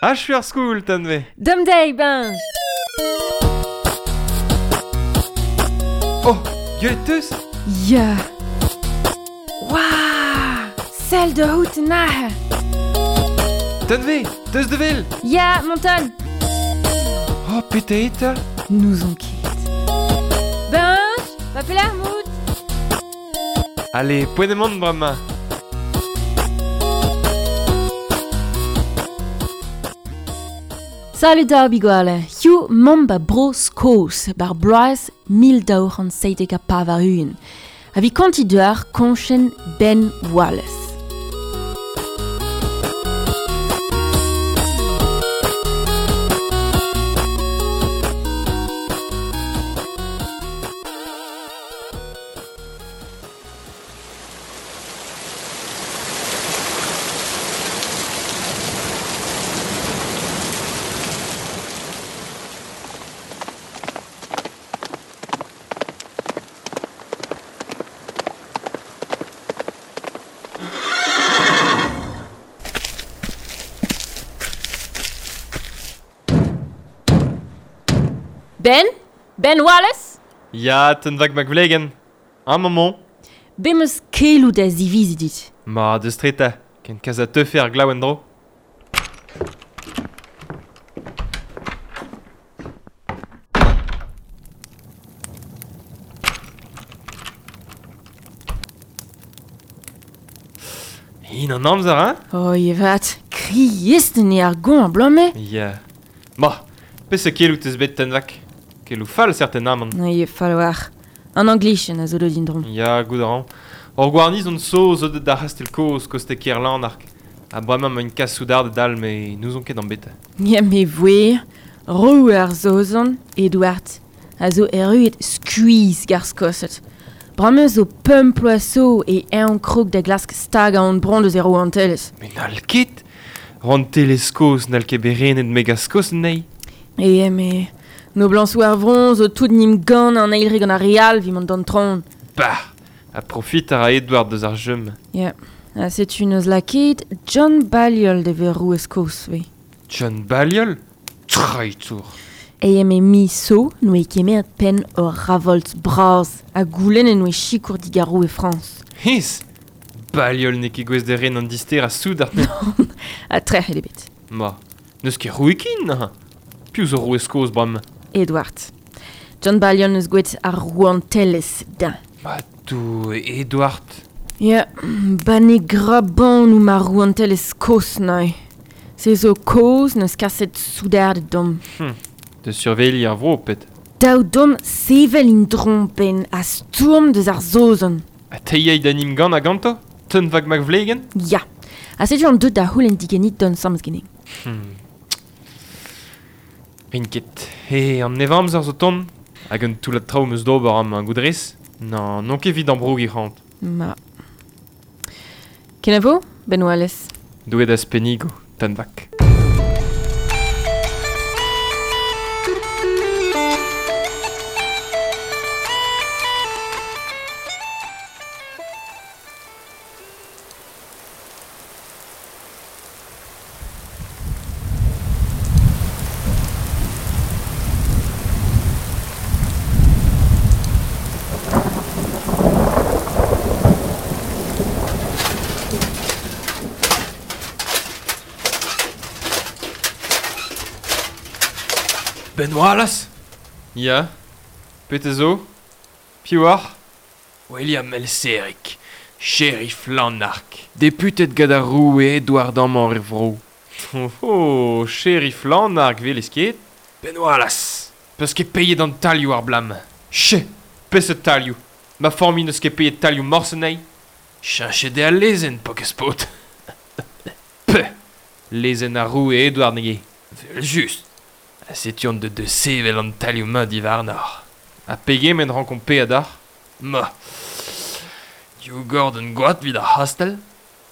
Achu ar skol, Tanve. Dom deiz, Benj. Oh, gwelet teus? Ya. Waouh! Sell da out aze. Tanve, teus da wel? Ya, Monton. Oh, petra eo 'ta? N'ouzon ket. Benj, va pelec'h 'mout? Ale, poent eo mont bremañ. Salut da bigwale. Hiziv 'maomp ba Bro-Skos, bar bloaz 1297. Ha 'vit kontiñ deoc'h koñchenn Ben Wallace. Ben? Ben Wallace? Ya, Tunvag McVlegen. Amañ 'mañ. Bet 'm eus keloù da ziviziñ dit. Ma, deus tre 'ta, ken kas a teufe ar glav en-dro. Hin an amzer, hein? Oh, evet, kriest eo ar goañv abalamour. Ya. Ma, peseurt keloù 'teus bet, Tunvag? Keloù fall, certainement. Eo fall war. An Anglichen a zo deuet en-dro. Ya, goût a ran. Ur gwarnizon saoz zo deuet d'ar c'hastell kozh koste Kerlanark. Ha bremañ emaint kas soudarded all, met n'ouzon ket an bet. Ya, me voe. Roue ar Saozon, Edward, a zo erruet skuizh g'ar Skosed. Bremañ zo pemp ploaz zo e eñ krog da glask stagañ hon bronn deus e rouantelezh. Met n'hall ket. Rouantelezh kozh n'hall ket bet renet mega Skos anezhi. E me noblañsoù ar vro zo tout 'n em gann an eil re gant ar re all evit mont d'an traoñ. Bah! Ha profit a ra Edward deus ar jeu-mañ. Ya, ha setu 'neus lakaet John Balliol da vezañ roue Skos 'vez. John Balliol? Traitour! E me miz zo 'noe kemeret penn ur ravolt bras ha goulennet 'noe sikour digant roue Frañs. Hennezh! Balliol n'eo ket gouest da ren an disterañ soudard. Ha trec'het eo bet. Ma, n'eus ket roue ken neuze. Piv zo roue Skos bremañ? Edward. John Balliol 'neus gwelet ar rouantelezh dezhañ. Ma Doue, Edward. Ya, ba ne grabanoù ma rouantelezh Skos neuze. Se zo kaoz 'neus kaset soudarded deomp. Da surveilhiñ ar vro, pet. Dav deomp sevel en-dro 'benn ha stourm deus ar Saozon. Ha te 'yay da 'n em gannañ ganto? Tunvag McVlegen? Ya. Ha setu an deut da c'houlenn diganit dont 'sammes ganin. Rin ket. He, an nevamzer zo tont. Hag un toullad traoù 'm eus d'ober amañ, goût 'rez? Non, n'on ket evit ambrougiñ c'hoant. Ma. Kenavo, Ben Wallace. Doue d'az pennigo, Tunvak. Ben Wallace? Ya. Petra zo? Piv oc'h? William Elserig, sheriff Lanark, deputet gant ar roue Edward amañ er vro. Oh, oh, sheriff Lanark 'welez ket? Ben Wallace, 'peus ket paeet an tailhoù ar bloaz-mañ. Che, peseurt tailhoù? Ma familh n'eus ket paeet tailhoù morse anezhi. Cheñchet eo al lezenn, paourkaezh paotr. Peuh! Lezenn ar roue Edward n'eo ket. Evel-just. Ha setu on deut da sevel an tailhoù-mañ diwarnoc'h. Ha pegement 'rankomp paeañ deoc'h? Ma! Div gordenn goad 'vit ar c'hastell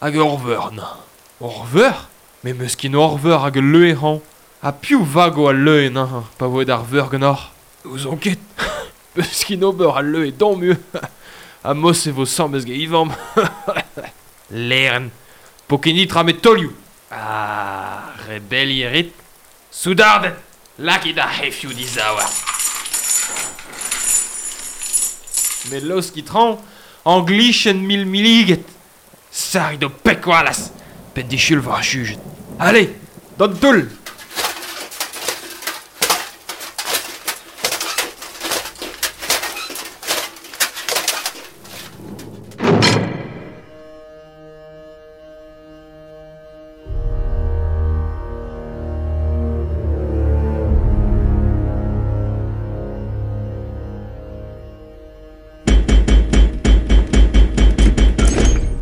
hag ur veur neuze. Ur veur? Me 'meus ket ur veur hag ul leue hañ. Ha piv 'vago al leue neuze pa vo aet ar veur ganeoc'h? N'ouzon ket. 'Peus ket ober al leue damm ivez. Ha mos e vo 'sambles gant e vamm. Lêrenn. 'Po ket netra 'met taolioù. Ah, Rebelli rit. Soudarded, lakit ar c'hefioù dizaouarn. Met laoskit traoñ, an glichenn mil milliget. Sarrit ho pek Wallace, penn disul war ar jujet. Allez, d'an toull!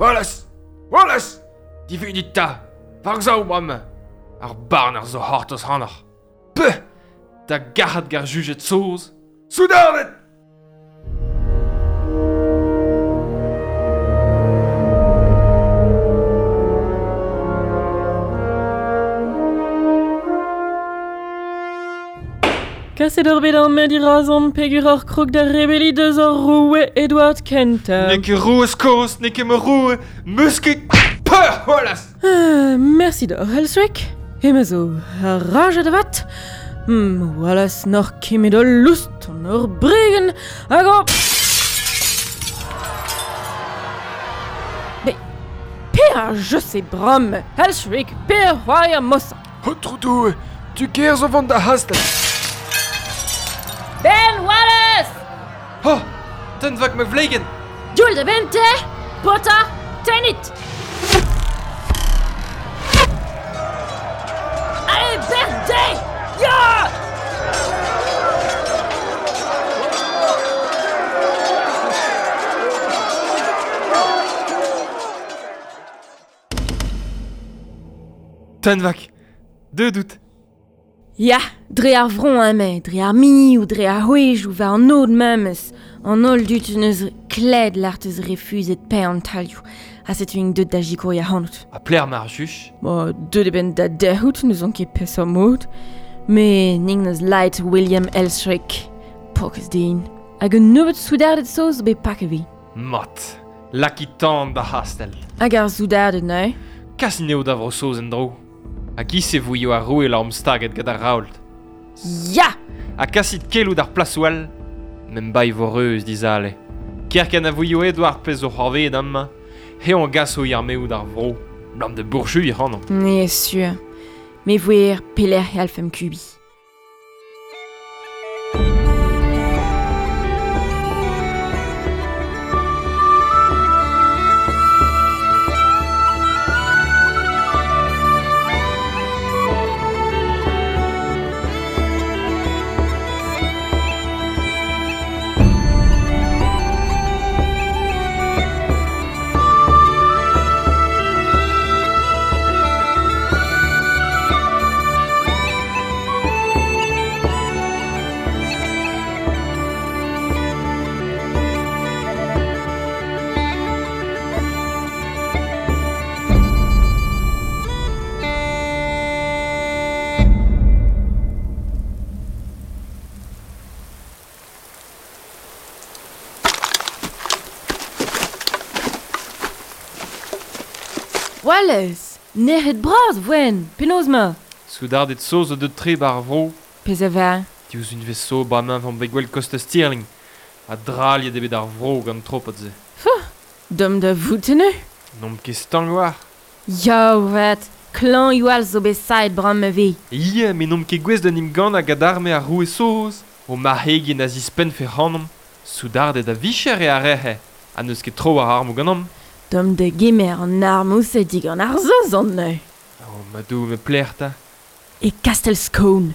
Wallace! Wallace! Divunit 'ta! War-sav bremañ! Ar barner zo c'hortoz ac'hanoc'h. Peuh! Da gac'hat gant ar jujed saoz! Soudarded! Kaset ur bet ar med dirazomp peogwir oc'h krog da rebelliñ deus hor roue Edward kentañ. N'eo ket roue Skos, n'eo ket ma roue, 'meus ket peur c'hoazh! Mersi deoc'h, Elsric. Hemañ zo rajet avat. Wallace n'oc'h ket met ul loust an ur bregenn hag o... Pe, per je sais bram, Elsric, per c'hoari ar mosañ. Aotrou Doue, tu kêr zo vont da c'hastell. Ben Wallace! Oh, tenn vak ma vlegenn! Dioul da benn te! Pota, tennit! Allez, bec'h dezhi! Ya! Tenn vak, deuet out. Ya, dre ar vro emañ, dre ar minioù, dre ar c'hwezhioù, war an aod memes. An holl dud 'neus klevet lâret eus refuzet paeañ an tailhoù. Ha setu int deuet da sikouriñ ac'hanout. Ha pelec'h emañ ar juj? Bon, deuet eo benn da derc'hout, n'ouzon ket peseurt mod. Met int 'neus lâret William Elsric, paourkaezh den. Hag un nebeud soudarded saoz zo bet paket evit. Mat, lakit tan d'ar c'hastell. Hag ar soudarded neuze? Kas anezho da Vro-Saoz en-dro. Ha giz-se 'voio ar roue lamm staget gant ar Raoult. Ya! Ha kasit keloù d'ar plasoù all. M'em bae vo reuz dizale. Kerkent a voio Edouard pezh zo c'hoarvezet amañ, eñ a gaso e armeoù d'ar vro. Blam da bourchuiñ ac'hanomp. Me sur. Me voer pelec'h e c'hallfemp kubiñ. Wallace, nec'het bras voen, penaos 'ma? Soudarded saoz zo deuet-tre 'ba ar vro. Pezh a vez. Diouzh unvez zo bremañ 'vomp bet gwell kostez Stirling. Ha drailhet eo bet ar vro gant tropad-se. Dom da vout eno. N'omp ket stank war. Ya 'vat, klañv all zo bet saet bremañ 'vez. Ya, met n'omp ket gouest d'en em gannañ gant arme ar roue saoz. O marc'hegien a zispennfe ac'hanomp. Soudarded a vicher eo ar re-se, ha n'eus ket tro war armoù ganeomp. Dom da gemer an armoù-se digant ar Saozon neuze. Oh, ma Doue, met pelec'h 'ta? E Kastell Scone.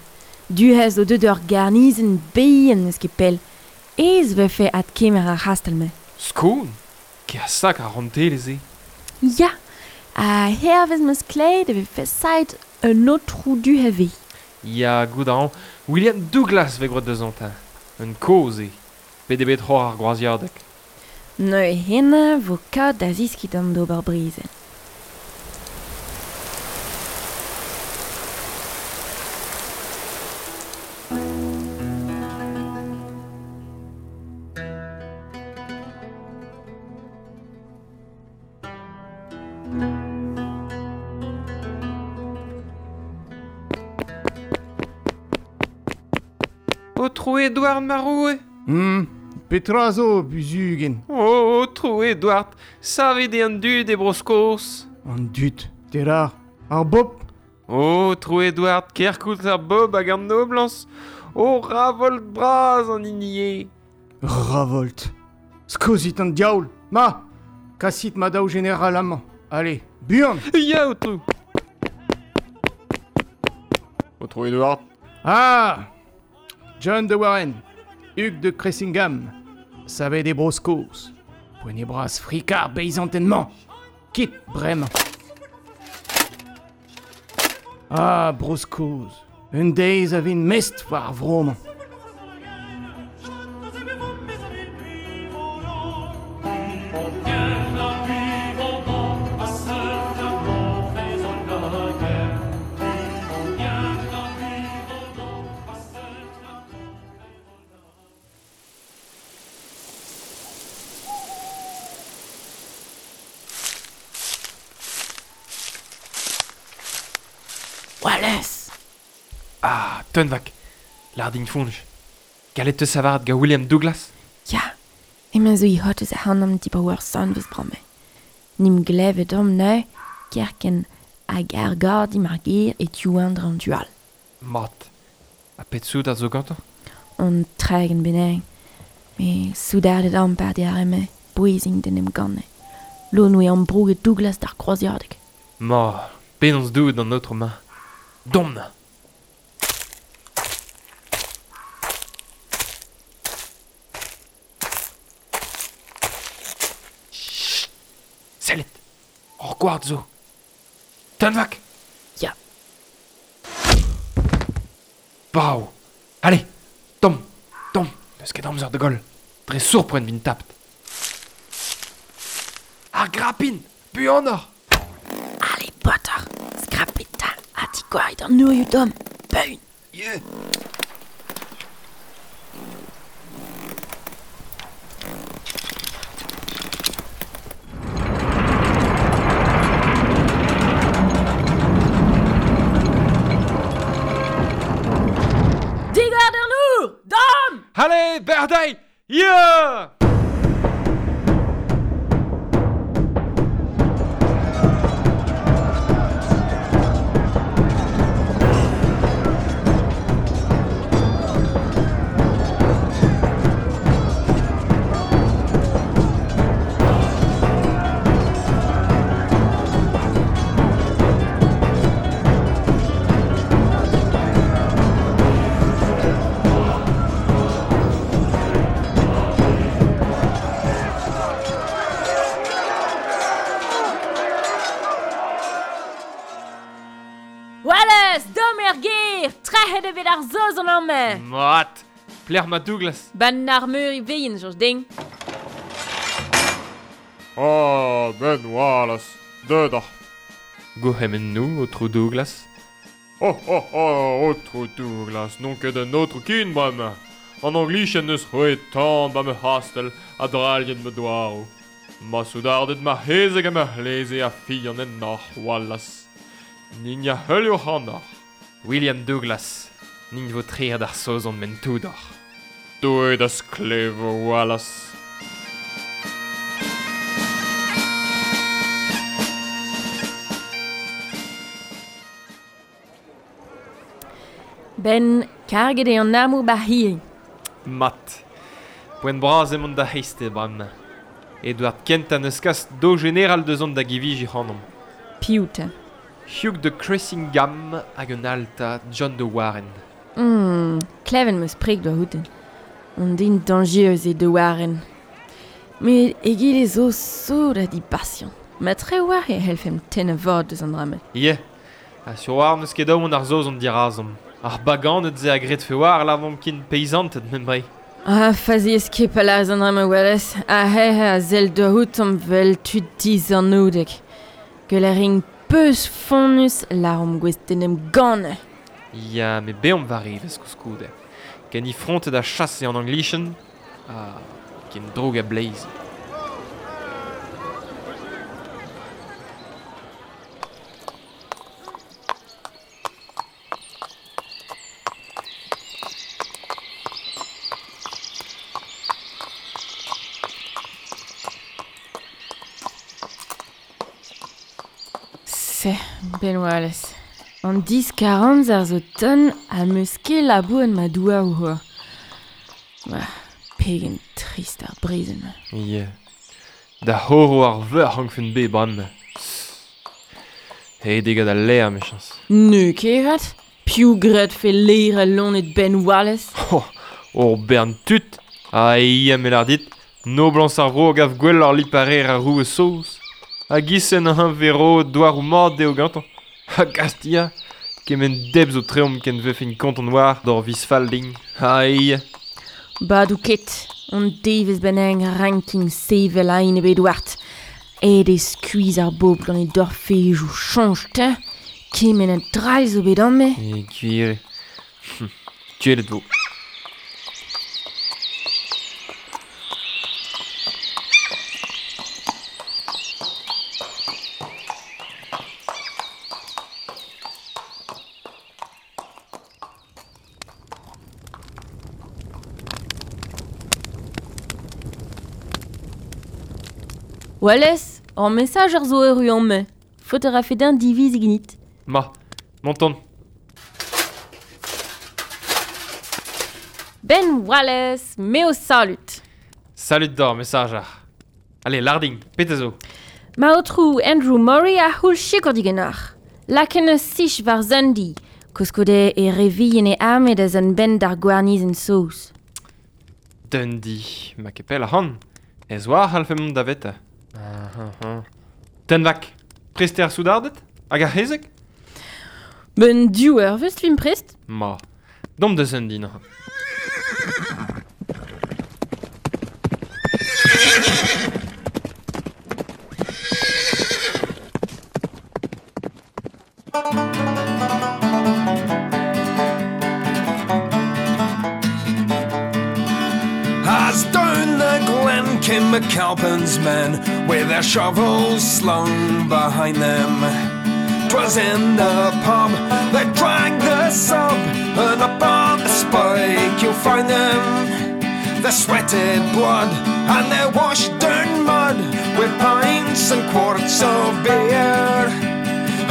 Du-hont zo deuet ur garnizenn bihan n'eus ket pell. Aes 'vefe adkemer ar c'hastell-mañ. Scone? Ker sakr ar rontelezh-se. Ya, ha hervez 'm eus klevet e vefe saet un aotrou du ivez. Ya, goût a ran. William Douglas 'vez graet deuzañ 'ta. Un kozh eo. Bet eo bet c'hoar ar groaziadeg. Neuze hemañ 'vo kat da zeskiñ deomp d'ober brezel. Otrou Edouard ma roue. Petra zo, buzugen? Oh, otrou Edouard, savet eo an dud e Bro-Skos. An dud, terar, ar bob. Oh, otrou Edouard, kerkoulz ar bob hag an noblañs. Oh, ravolt bras an hini eo. Ravolt. Skozit an diaoul. Ma, kasit ma daou jeneral amañ. Allez, buan. Ya, otrou. Otrou Edouard. Ah, John de Warren, Hugh de Cressingham, savet e Bro-Skos. Poent eo bras frikar beizantenn-mañ. Kit bremañ. Ah, Bro-Skos, un deiz a vin mestr war ar vro-mañ. Wallace! Ah, Tunvak, lardin foñj. Gallet teus savaret gant William Douglas? Ya, emañ zo i hot eus ac'hanomp dibaoe ur sanvez bremañ. Nim glevet omp neuze, kerkent hag ar gardim ar gêr e tiouan dre an tu all. Mat. Ha pet soudard zo gantañ? An 30 bennak. Me soudarded ampart eo ar re-mañ, bouezint d'en em gannañ. Lod oa ambrouget Douglas d'ar kroaziadeg. Ma, penaos doet d'an aotrou-mañ? Domp na! Chut! Sellit! Ur gward zo! Tunvak! Ya. Brav! Allez! Tomm! Tomm! N'eus ket amzer da goll. Dre sourpren vin tapt. Ar grapin! Buanoc'h! Allez, paotr! Skrapit 'ta ha digorit an nourioù tomm. Beun! Yeah! Digor d'an nour! Domm! Allez, berdei! Yeah! Wallace, domm er gêr! Trec'het eo bet ar Saozon amañ! Mat! Plec'h ma Douglas? Ban ar meur ivein, soñj din. Ah, Ben Wallace, deut oc'h. Gourc'hemennoù, aotrou Douglas. Oh, oh, oh, aotrou Douglas, n'on ket un aotrou ken bremañ. An Anglicien neus c'hwezhet tan ba ma c'hastell ha drailhet ma douaroù. Ma soudarded ma c'hezeg ha ma c'hleze a fian ennoc'h, Wallace. Nin a heulio ac'hanoc'h. William Douglas, nin vo trec'het ar Saozon m'en toudoc'h. Doue da sklevo, Wallace. Ben, karget eo an armoù bar c'hirri. Mat. Poent bras emaon da c'hreisteiz bremañ. Edouard kentañ neus kas daou jeneral deus on da givijiñ ac'hanomp. Piv 'ta? Hugh de Cressingham hag un all 'ta, John de Warren. Klevet 'm eus preg doa outen. Un den dañjerus eo de Warren. Met egile zo sot ha dipasiant. Ma tre-walc'h e c'hellfemp tennañ vad deus an dra-mañ. Ya, ha sur war n'eus ket aon ar Saozon dirazomp. Ar baganed-se a gredfe war lavaomp ken peizanted membre. Ah, faziez ket pa lârez an dra-mañ Wallace. Ar c'her a sell doc'houtomp 'vel tud dizanaoudek. Gwell a rin peus fonnus lâromp gouest d'en em gannañ. Ya, met beomp war evezh koulskoude. Ken ifrontet a chase an Anglichen, ha ken droug a bleiz. Se, Ben Wallace. An diskar-amzer zo ton ha 'meus ket labouret ma douaroù c'hoazh. Bah, pegen trist ar brezel-mañ. Ya. Da c'horo ar veur rankfen bet bremañ. Aet eo gant al lêr, 'mechañs. N'eo ket 'vat. Piv 'gredfe lêrañ loened Ben Wallace? Oh, ur bern tud! Ha ya, me 'lâr dit, noblañs ar vro a gav gwelloc'h liparer ar roue saoz. Hag isen hañ 'vez roet douaroù mat dezho gantañ. Ha gast ya, kement deb zo treomp ken 'vefen kontant war d'hor viz fall din. Ha ya. Badoù ket, on devezh bennak rankin sevel a-enep Edward. Aet eo skuizh ar bobl gant e dorfedoù soñj 'ta! Kement a drailh zo bet amañ. E gwir eo. Gwelet 'vo. Wallace, ur mesajer zo erru amañ. Faot a rafe dezhañ diviziñ ganit. Ma, monton. Ben Wallace, me ho salud. Salud deoc'h, mesajer. Ale, lardin, petra zo? Ma aotrou Andrew Murray a c'houll sikour diganeoc'h. Lakaet 'neus sich war Dundee. Koulskoude e re vihan e arme da zont 'benn d'ar gwarnizenn saoz. Dundee, ma ket pell ac'hann. Ez oa a c'hallfe mont davetañ. Tenvak, prest eo ar soudarded? Hag ar c'hezeg? Ben div eurvezh 'vimp prest. Ma, domp da Dundee neuze. As down the glen came McAlpin's men with their shovels slung behind them. 'Twas in the pub they dragged the sub, and up on the spike you'll find them. Their sweated blood and their washed down mud with pints and quarts of beer.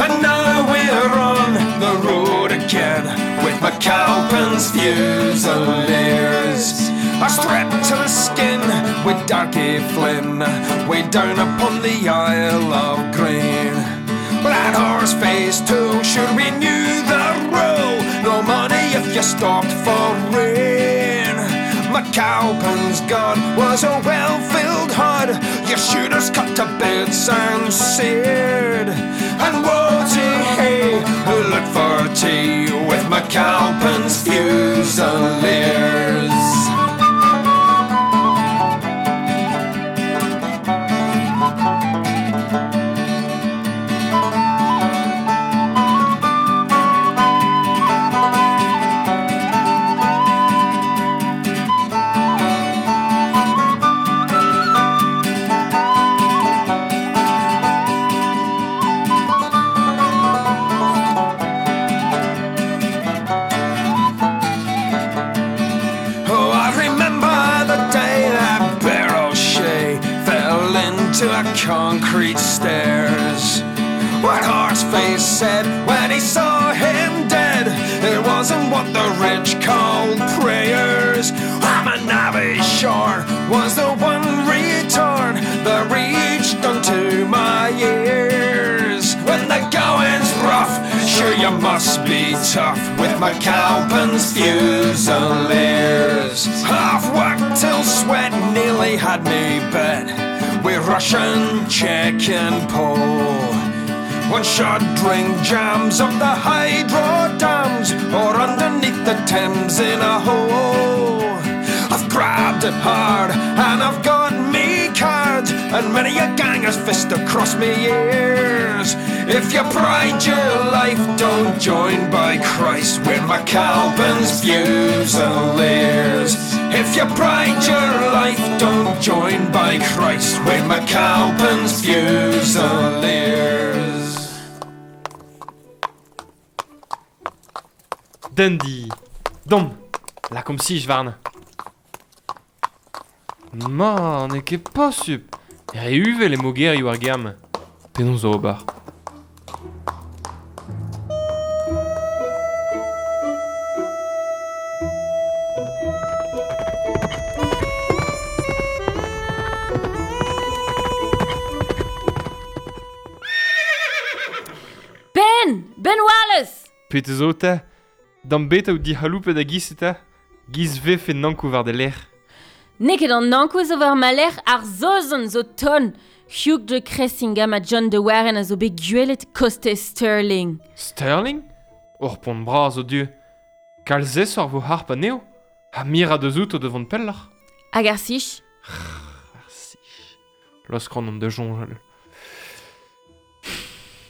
And now we're on the road again with McAlpin's Fusiliers. Are strapped to the skin with Darky Flynn, way down upon the Isle of Grain. But that horse face too, sure we knew the rule. No money if you stopped for rain. McAlpin's gun was a well-filled hod. Your shooters cut to bits and seared. And woe to he who looked for tea with McAlpin's Fusiliers. Oh, I remember the day that Bear O'Shea fell into a concrete stairs. What Horseface said when he saw him dead, it wasn't what the rich called prayers. I'm a navvy sure was the one return that reached unto my ears. When the going's rough, sure you must be tough with McAlpin's Fusiliers. I've worked till sweat nearly had me bet with Russian, Czech and Pole. One should drink jams up the hydro dams or underneath the Thames in a hole. I've grabbed it hard and I've got me cards, and many a ganger's fist across me ears. If you pride your life, don't join by Christ with McAlpin's Fusiliers. If you pride your life, don't join by Christ with McAlpin's Fusiliers. Dundee, domp, lakaomp sich warnañ. Ma, n'eo ket posupl! Re uvel eo mogerioù ar gêr-mañ. Penaos ober? Ben! Ben Wallace! Pete zo ta? D'am bet out dic'haloupet a giz eta? Giz vefe nankou war de lec'h. N'eo ket an nankou zo war ma lec'h ar Zozon zo ton. Hugh de Cressingham ha John de Warren a zo bet gwelet kostez Stirling. Stirling? Ur pont bras o du. Kalz esor vo harp anezho. Ha mira deus outo devant pelloc'h. Hag ar sich? Ar sich. Loskran on de soñjal.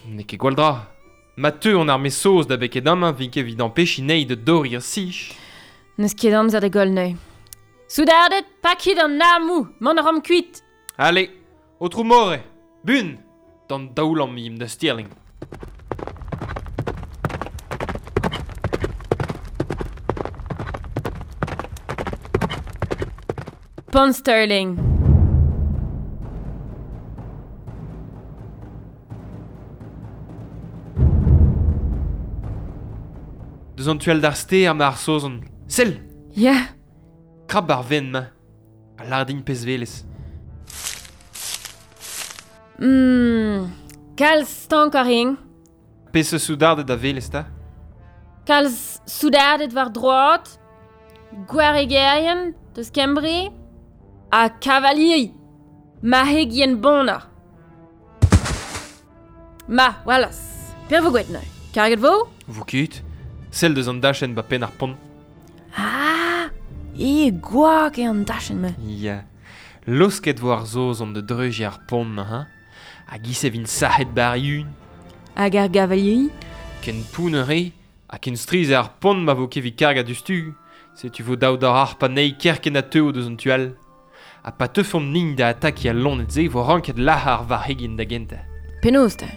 N'eo ket gwall dra. Ma teu an arme saoz da beket amañ vin ket evit ampechiñ anezhi da dorriñ ar sich. N'eus ket amzer da goll neuze. Soudarded, pakit an armoù, mont a ran kuit. Allez, Aotrou More, bun! D'an daoulamm imp da Stirling. Pont Stirling. Deus an tu all d'ar stêr ma ar Saozon. Sell! Ya. Krap ar ven-mañ. A lâr din pezh 'welez. Kalz stank a rin. Peseurt soudarded a welez 'ta? Kalz soudarded war droad, gwaregerien deus Kembre, ha kavaliri, marc'hegien bonner. Ma, Wallace, per vo gwet neuze. Karget vo? Vo ket. Sell deus an dachenn ba penn ar pont. Ah, e gwak eo an dachenn-mañ. Ya. Laosket vo ar Saozon da dreuziñ ar pont-mañ, hein? Hag ise vint sac'het bar yun. Hag ar gavaliri? Ken pounner eo, ha ken strizh eo ar pont ma vo ket evit kargañ diouzhtu. Setu vo dav d'ar harp anezhi kerkent ha teuo deus an tu all. Ha pa teufomp nin da atakiñ al loened-se vo ranket lazhañ ar varc'hegien da gentañ. Penaos 'ta?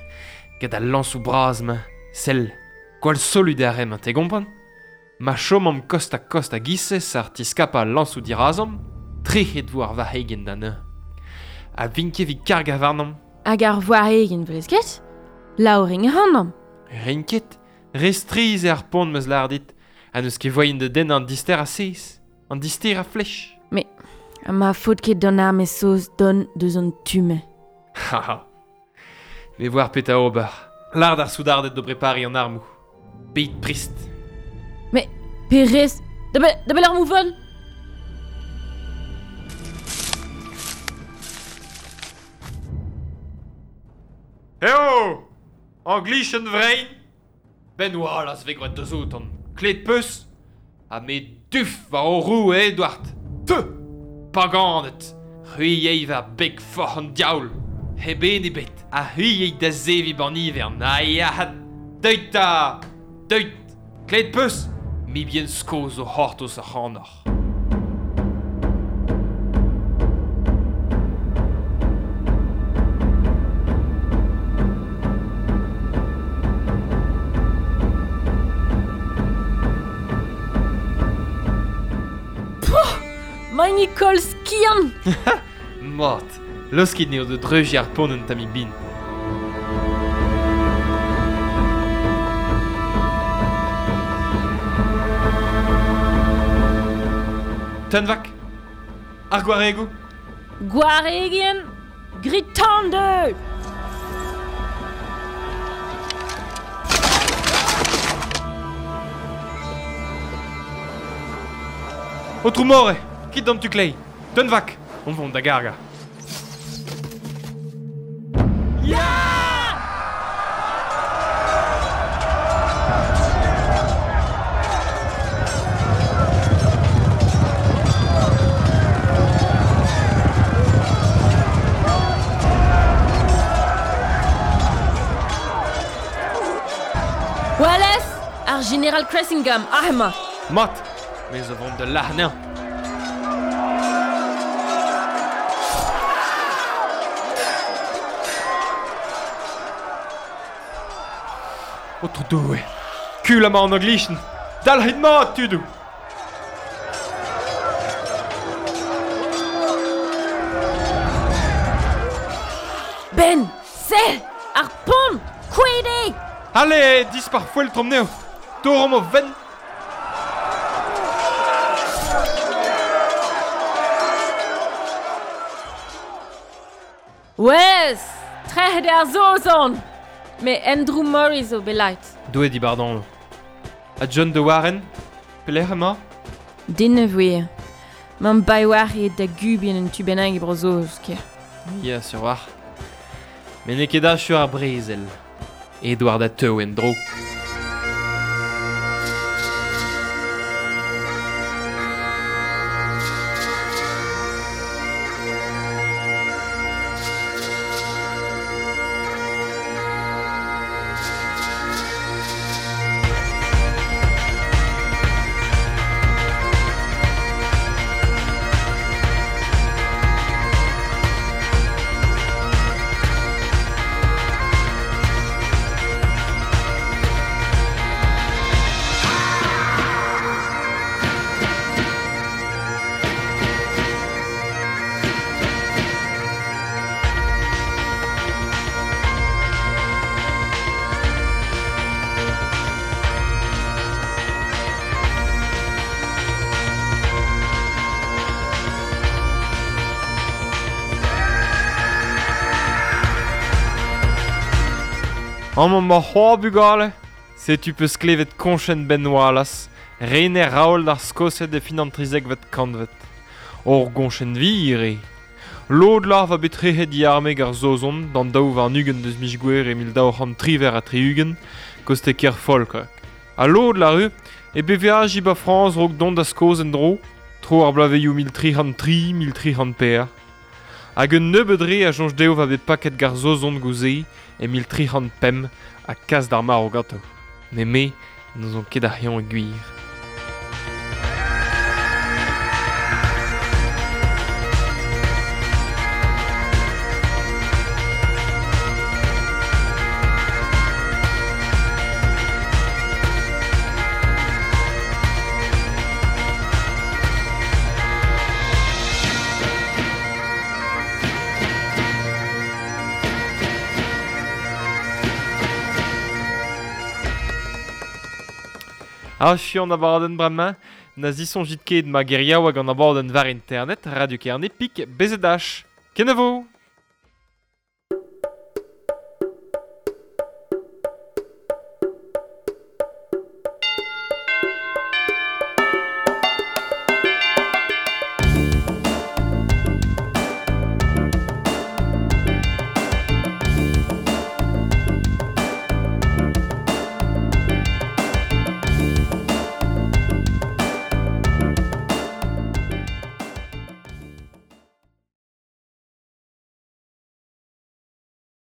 Gant al lañsoù bras-mañ, sell, gwall solut eo ar re-mañ, te gompren? Ma chomomp kost-ha-kost a-giz-se ar tiskapañ al lañsoù dirazomp, trec'het vo ar varc'hegien da neuze. Ha vint ket evit kargañ warnomp. Hag ar varc'hegien 'velez ket? Laoring ac'hanomp. Rin ket, re strizh eo ar pont 'm eus lâret dit, ha n'eus ket voaien da dennañ an dister a sez, an dister a flech. Mais ma faot ket d'an arme saoz dont deus an tu-mañ. Ha Me voar petra ober. Lâr d'ar soudarded da brepariñ an armoù. Beit prest. Mais perez, da be da belec'h armoù vont? Eo! Anglichenn vrein! Ben Wallace 'vez gwraet deus outan. Klet 'peus? Ha me duf war ho roue Edward. Teu! Paganed! C'hwi yey war beg forc'h an diaoul. Hep en ebet. Ha c'hwi yey da zeviñ b'an ivern. Ha ya! Deuit 'ta! Deuit! Klet 'peus? Mibien Skos o c'hortoz ac'hanoc'h. Mañ Nicole Skian! Mat, laoskit anezho da dreuziñ ar pont un tammig bihan. Tenvak, ar gwaregoù. Gwaregien, grit tan deu! Aotrou More, kit d'an tu kleiz. Tenvak, on vont da gargañ. Wallace, ar General Cressingham, aze emañ. Mat, me zo vont da lâr anezhañ. Aotrou Doue, kul amañ an Anglichen. Dalc'hit mat, tudoù! Ben, sell, ar pont, kouezhet eo! Ale, dispar foeltr anezho. Torromp o fenn. Wes, trec'het eo ar Saozon! Me Andrew Murray zo belait. Doue di bardon. Ha John de Warren Pelec'h emañ? Den ne voe. Man bai war e da gubien un tu bennak e Bro-Saoz, ker. Ya, sur war. Met n'eo ket achu ar brezel. Edward a teu en-dro. Amañ ma c'hoar bugale. Setu peus klevet koñchenn Ben Wallace, rener Raoul ar Skosed e fin an 13vet kantved. Ur goñchenn vir eo. Lod lar va bet trec'het diarme ar Saozon d'an 22 deus miz Gouere e 1978 koste ker Falkirk. Ha lod lar eo e beveaji ba Frañs raok dont da Skos en-dro, tro ar bloavezhioù 1303, 1304. Hag un nebeud re a soñj dezho va bet paket g'ar Saozon gouze e 1305 ha kas d'ar marv ganto. Met me n'ouzon ket ar c'hiañ e gwir. Achu an abadenn bremañ, na zisoñjit ket ma geriaoueg an abadenn war internet, Radio Kerne pik BZH. Kenavo!